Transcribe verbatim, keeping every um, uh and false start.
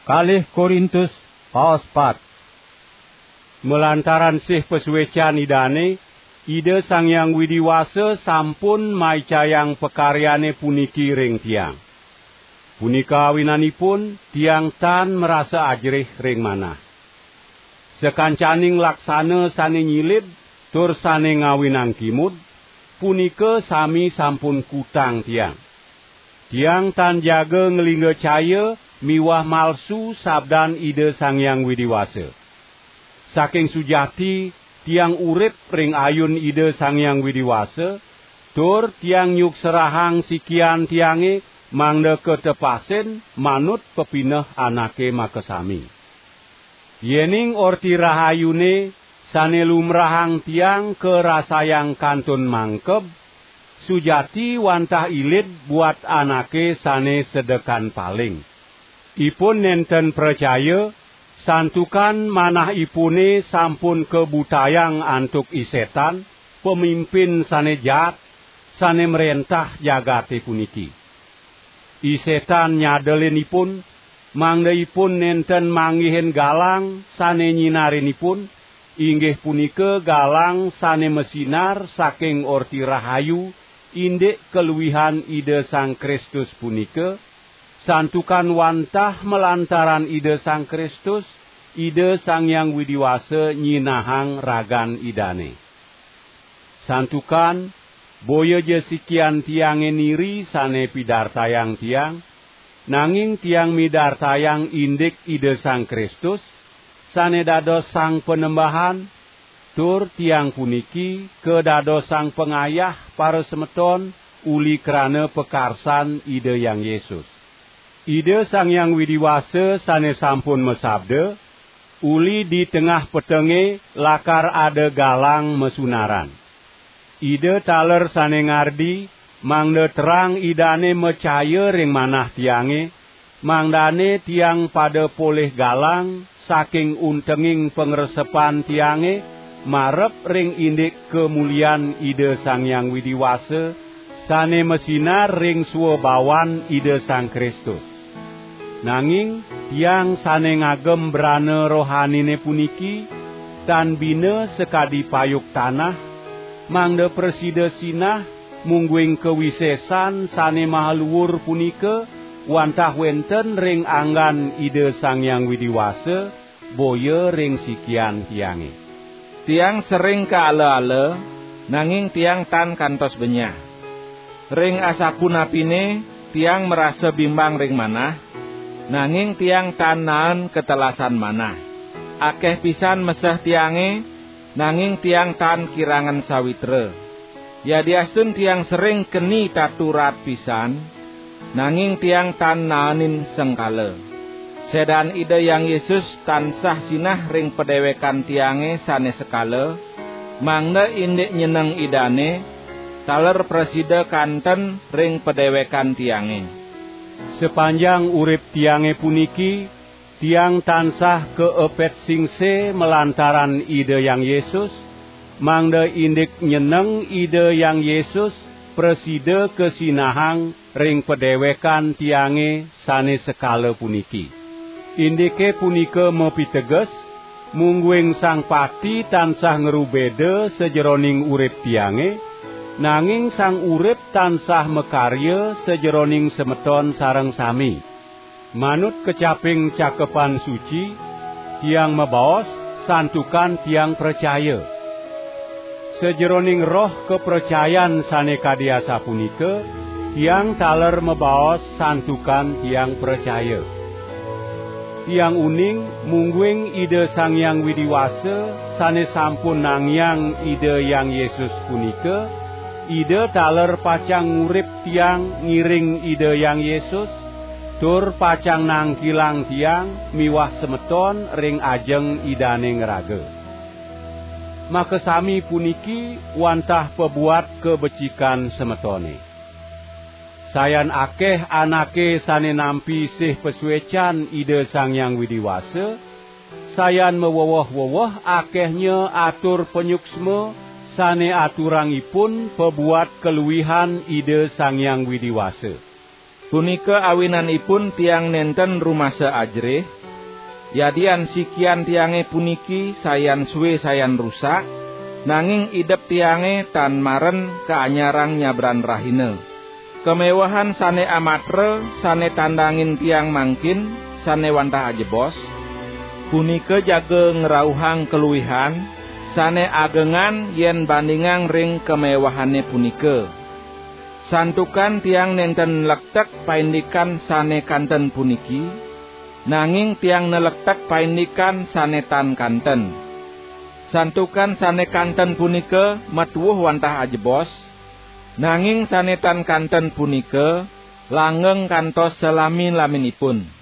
Kalih Korintus, paos pat. Malantaran sih pasuecan Idane, Ida Sang Hyang Widi Wasa sampun maicayang pakaryane puniki ring tiang. Punika awinanipun tiang tan marasa ajrih ring manah. Sakancaning laksana sane nyilib tur sane ngawinang kimud, punika sami sampun kutang tiang. Tiang tan jaga nglingga caya miwah malsu sabdan Ida Sang Hyang Widi Wasa. Saking sujati, tiang urip ring ayun Ida Sang Hyang Widi Wasa, tur tiang nyukserahang sikian tiange mangda katepasin manut pepineh anake makasami. Yening Orti Rahayune sane lumrahang tiang karasayang kantun mangkeb, sujati wantah ilid buat anake sane sedekan paling. Ipun nenten pracaya, santukan manahipune sampun kabutayang antuk i Setan, pamimpin sane jaat, sane mrentah jagate puniki. I Setan nyadelin ipun, mangda ipun nenten manggihin galang sane nyinarin ipun, inggih punika galang sane masinar saking Orti Rahayu, indik kaluihan Ida Sang Kristus punika, santukan wantah malantaran Ida Sang Kristus, Ida Sang Hyang Widi Wasa nyinahang ragan Idane. Santukan, boya ja sikian tiange niri sane pidartayang tiang, nanging tiang midartayang indik Ida Sang Kristus, sane dados Sang Panembahan, tur tiang puniki kadadosang pangayah parasemeton uli krana pakarsan Ida Hyang Yesus. Ida Sang Hyang Widi Wasa sane sampun masabda, "Uli di tengah petenge lakar ada galang masunaran." Ida taler sane ngardi, mangda terang Idane macaya ring manah tiange, mangdane tiang pada polih galang saking untenging pangresepan tiange, marep ring indik kamulian Ida Sang Hyang Widi Wasa, sane masinar ring swabawan Ida Sang Kristus. Nanging tiang sane ngagem brana rohanine puniki, tan bina sakadi payuk tanah, mangda prasida sinah, mungguing kawisesan sane mahaluur punika wantah wenten ring anggan Ida Sang Hyang Widi Wasa, boya ring sikian tiange. Tiang sering kaala-ala, nanging tiang tan kantos benyah. Ring asapunapine tiang marasa bimbang ring manah, nanging tiang tan naen katelasan manah. Akeh pisan meseh tiange, nanging tiang tan kirangan sawitra. Yadiastun tiang sering keni tatu raat pisan, nanging tiang tan naenin sengkala. Sedan Ida Hyang Yesus tansah sinah ring padewekan tiange sane sekala, mangda indik nyeneng Idane, taler prasida kanten ring padewekan tiange. Sapanjang urip tiange puniki, tiang tansah kaepet singse malantaran Ida Hyang Yesus, mangda indik nyeneng Ida Hyang Yesus prasida kasinahang ring padewekan tiange sane sekala puniki. Indike punika mapiteges, mungguing Sang Pati tansah ngrubeda sajeroning urip tiange, nanging Sang Urip tansah makarya sajeroning semeton sareng sami. Manut kecaping Cakepan Suci, tiang mabaos santukan tiang pracaya. Sajeroning roh kapracayan sane kadi asapunika, tiang taler mabaos santukan tiang pracaya. Tiang uning, mungguing Ida Sang Hyang Widi Wasa sane sampun nangiang Ida Hyang Yesus punika, Ida taler pacang ngurip tiang ngiring Ida Hyang Yesus, tur pacang nangkilang tiang miwah semeton ring ajeng Idane ngraga. Makasami puniki wantah pabuat kabecikan semetone. Sayan akeh anake sane nampi sih pasuecan Ida Sang Hyang Widi Wasa, sayan mawewoh-wewoh akehnya atur panyuksma sane aturangipun pabuat kaluihan Ida Sang Hyang Widi Wasa. Punika awinanipun tiang nenten rumasa ajerih, yadian sikian tiange puniki sayan suwe sayan rusak, nanging idep tiange tan maren kaanyarang nyabran rahina. Kamewehan sane amatra sane tandangin tiang mangkin, sane wantah ajebos, punika jaga ngrauhang kaluihan sane agengan yen bandingang ring kamewehane punika. Santukan tiang nenten nlektek paindikan sane kanten puniki, nanging tiang nlektek paindikan sane tan kanten. Santukan sane kanten punika matuwuh wantah ajebos, nanging sane tan kanten punika langgeng kantos salami-laminipun.